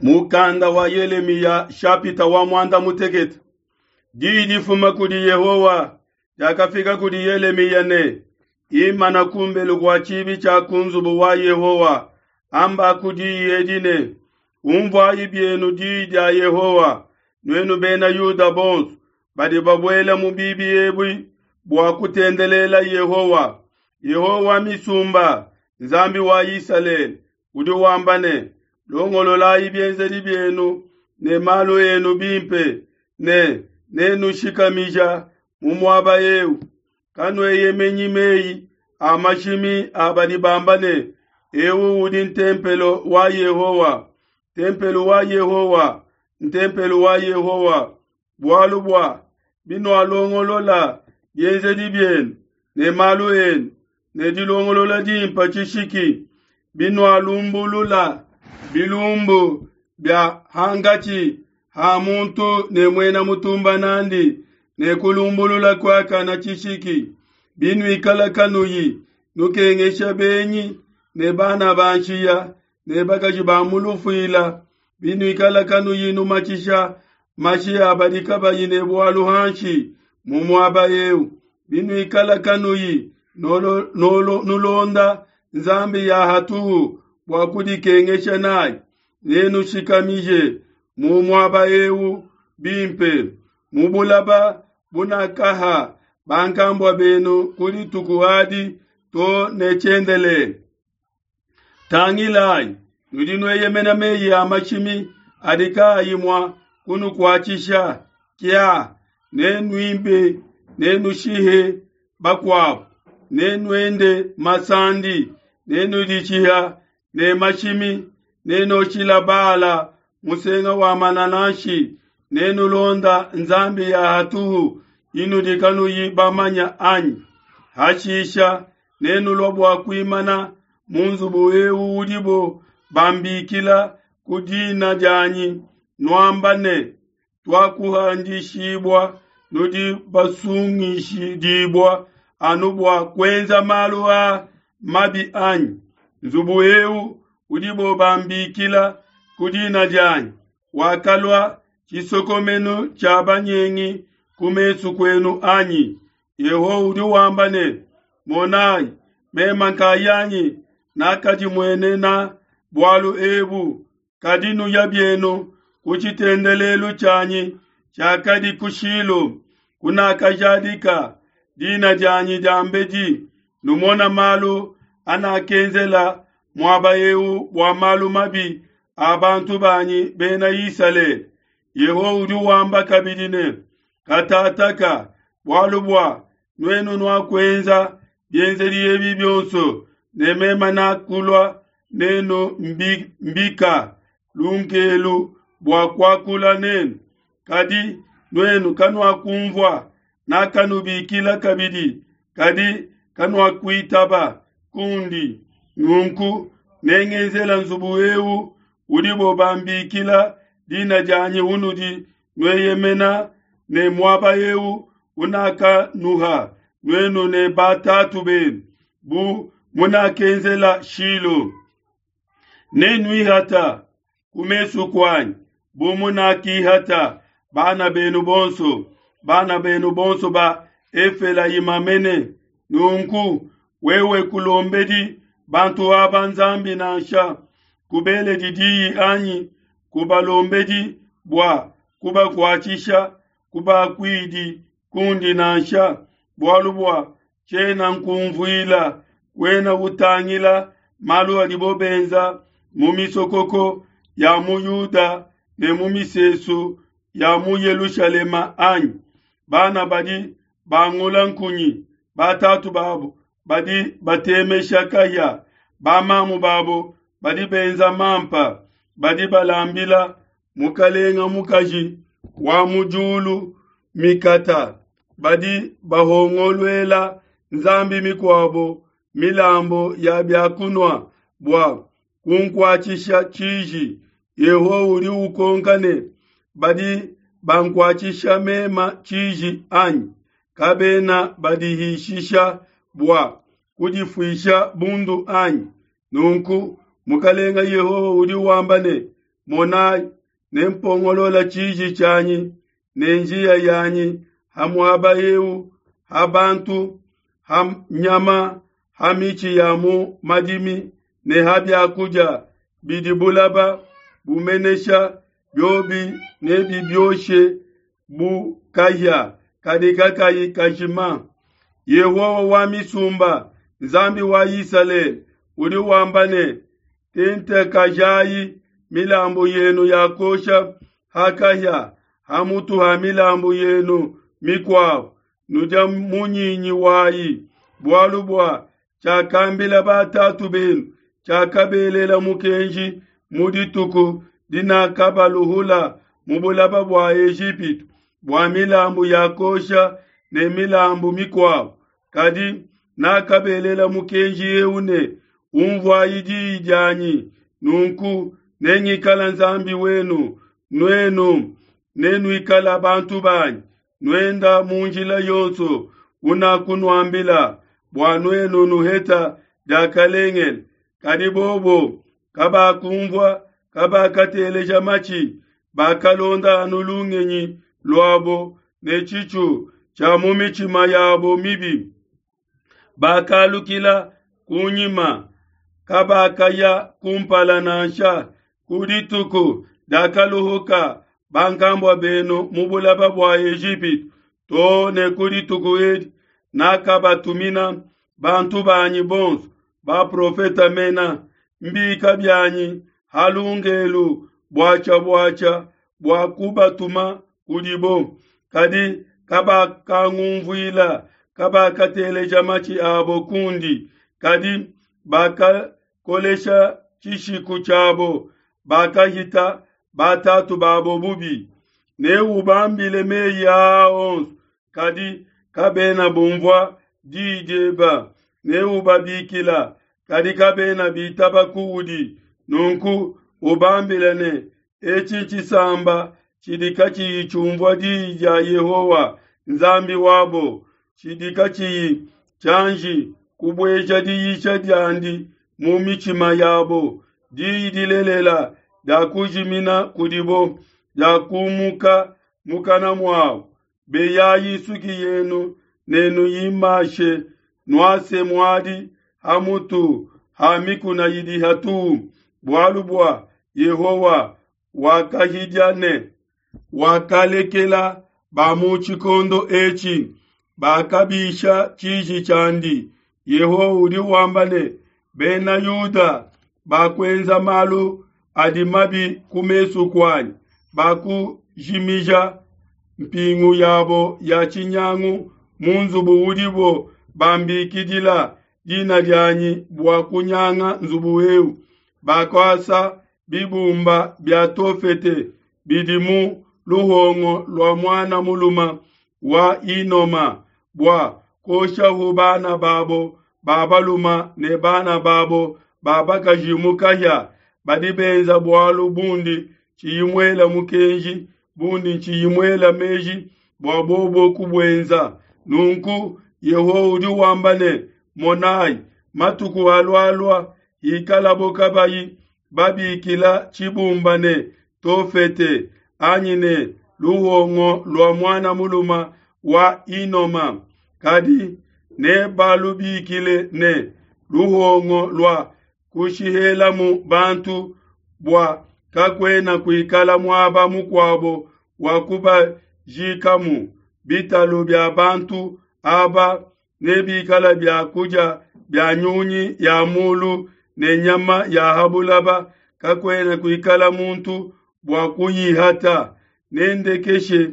Mukanda wa Yelemiya shapita wa muanda mutekete. Diyi difuma kudi Yehowa diakafika kudi Yelemiya ne, Imana kumbelu kua tshibi tshia ku nzubu wa Yehowa, ambaku diyi edi ne, Umvuayi bienu diyi dia Yehowa, nuenu bena Yuda bonso badi babuela mu bibi ebi bua kutendelela Yehowa. Yehowa wa misumba, Nzambi wa Isalele, udi wamba ne, Longololayi bienzedi bienu ne malu enu bimpe, ne nenushikamija mu muaba eu. Kanueyemenyi meyi a mashimi a badi bamba ne, Eu udi ntempelo wa Yehowa, ntempelo wa Yehowa, ntempelo wa Yehowa. Bualu bua binualongolola bienzedi bienu ne malu enu ne dilongolola dimpe tshishiki, binualumbulula bilumbu bia hankatshi ha muntu ne muena mutumba n'andi ne kulumbulula kuakana tshishiki, binuikala kanuyi nukengesha benyi ne bana ba nshiya ne bakaji ba mu lufuila, binuikala kanuyi numatshisha mashi a badi kabayi ne bualu hanshi mu muaba eu, binuikala kanuyi nulonda nzambi ya hatuhu bua kudikengesha nayi, nenushikamije mu muaba eu bimpe, mu bulaba bunakaha bankambua benu ku dituku adi to ne tshiendelele. Tangilayi, nudi nueyemena meyi a mashimi adi kaayi mua kunukuatshisha. Kia, nenuibe, nenushihe bakuabu, nenuende masandi, nenuditshiha ne mashimi, nenoshila Baala musenga wa manananshi, nenulonda nzambi ya hatuhu inudi kanuyi bamanya anyi? Hashisha nenulua bua kuimana mu nzubu eu udibo bambikila ku dina dianyi, nuamba ne, Tuakuhandishibua, nudi basungishidibua anu bua kuenza malu a mabi anyi? Nzubu eu udibo bambikila ku dina dianyi wakalua tshisokomenu tshia banyengi ku mesu kuenu anyi? Yehowa udi wamba ne, Monayi, meme nkayanyi nakadimuenena bualu ebu, kadi nuya bienu ku tshitendelelu tshianyi tshiakadi ku Shilo, kunakajadika dina dianyi diambedi, numona malu anakenzela muaba eu bua malu mabi a bantu banyi bena Isalele. Yehowa udi wamba kabidi ne, Katataka, bualu bua nuenu nuakuenza bienzedi ebi bionso, ne meme nakulua nenu mbika lunkelu bua kuakula nenu, kadi nuenu kanuakumvua, nakanubikila kabidi, kadi kanuakuitaba kundi. Nunku nengenzela nzubu eu udibo bambikila dina dianyi unudi nueyemena ne muaba eu unakanuha nuenu ne batatu benu, bu munakenzela Shilo. Nenuihata ku mesu kuanyi bu munakihata bana benu bonso, bana benu bonso ba Efelayima mene. Nunku wewe kulombedi bantu aba Nzambi nansha, kubeledi diyi anyi kubalombedi bua kubakuatshisha, kubakuidi kundi nansha, bualu bua tshiena nkumvuila, kuena utangila malu adibo benza mu misokoko ya mu Yuda ne mu misesu ya mu Yelushalema anyi? Bana badi bangula nkunyi, batatu babo badi batemesha kaya, bamamu babo badi benza mampa, badi balambila mukalenga mukaji wa mu diulu mikata, badi bahongoluela nzambi mikuabo milambo ya bia kunua bua kunkuatshisha tshiji. Yehowa udi ukonka ne, badi bankuatshisha mema tshiji anyi? Kabena badihishisha bua kudifuisha bundu anyi? Nunku Mukalenga Yehowa udi wamba ne, Monai, nempongolola tshiji tshianyi ne njiya yanyi ha muaba eu, ha bantu, ha nyama, ha mitshi ya mu madimi ne ha biakudia bidi bulaba bumenesha, biobi nebibioshe bu kahia kadi kakayi kajima. Yehowa wa misumba, Nzambi wa Isalele, udi wamba ne, Tentekajayi milambu yenu ya kuosha ha kahia ha mutu ha milambu yenu mikuabo, nudia munyinyi wayi, bualu bua tshiakambila batatu benu, tshiakabelela mukenji mu dituku dinakabaluhula mu bulaba bua Ejipitu, bua milambu ya kuosha ne milambu mikuabo. Kadi nakabelela mukenji eu ne, Unvuayi diyi dianyi, nunku nengikala Nzambi wenu, nuenu nenuikala bantu banyi, nuenda mu njila yonso unakunuambila, bua nuenu nuheta diakalengele. Kadi bobo kabakunvua, kabakateleja matshi, bakalonda anu lungenyi luabo ne tshitshu tshia mu mitshima yabo mibi. Bakalukila kunyima, kabakaya kumpala nansha. Ku dituku diakaluhuka bankambua benu mu bulaba bua Ejipitu too ne ku dituku edi, nakabatumina bantu banyi bonso baprofeta mena mbika bianyi ha lungelu buatshia-buatshia bua kubatuma kudibo, kadi kabakangunvuila, kabakateleja matshi abo kundi, kadi bakakolesha tshishiku tshiabo, bakahita batatu babo bubi. Neubambile meyi aa onso, kadi kabena bumvua diyi dieba. Neubabikila, kadi kabena bitaba kuudi. Nunku ubambile ne, etshi ntshisamba tshidi katshiyi tshiumvua diyi dia Yehowa Nzambi wabo, tshidi katshiyi tshianji kubueja diyisha diandi mu mitshima yabo. Diyi dilelela diakujimina kudibo, diakumuka mukana muabo. Beyayi nsuki yenu ne nuyimashe, nuase muadi ha mutu ha mikuna idi hatuhu, bualu bua Yehowa wakahidia ne wakalekela ba mu tshikondo etshi bakabisha tshiji tshiandi. Yehowa udi wamba ne, Bena Yuda bakuenza malu adi mabi ku mesu kuanyi, bakujimija mpingu yabo ya tshinyangu mu nzubu udibo bambikidila dina dianyi bua kunyanga nzubu eu. Bakuasa bibumba bia Tofete bidi mu luhongo lua muana muluma wa Inoma bua kuoshahu bana babo ba baluma ne bana babo ba bakaji mu kahia. Badi benza bualu bundi tshiyi muela mukenji, bundi tshiyi muela meji bua bobo kubuenza. Nunku Yehowa udi wamba ne, Monai, matuku alualua hikalabo kabayi babikila tshibumba ne Tofete anyi ne luhongo lua muana muluma wa Inoma, kadi nebalubikile ne luhongo lua kushihelamu bantu, bua kakuena kuikala muaba mukuabo wa kubajikamu. Bitalu bia bantu aba nebikala bia kudia bia nyunyi ya mulu ne nyama ya ha bulaba, kakuena kuikala muntu bua kuyihata. Nendekeshe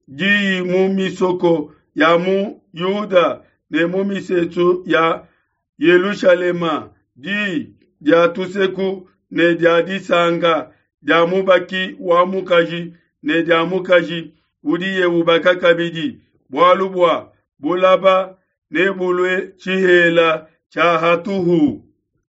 diyi mu misoko ya mu Yuda ne mu misesu ya Yelushalema, diyi dia tuseku ne dia disanka, dia mubaki wa mukaji ne dia mukaji udiye ubaka kabidi, bualu bua bulaba nebulue tshihela tshia hatuhu.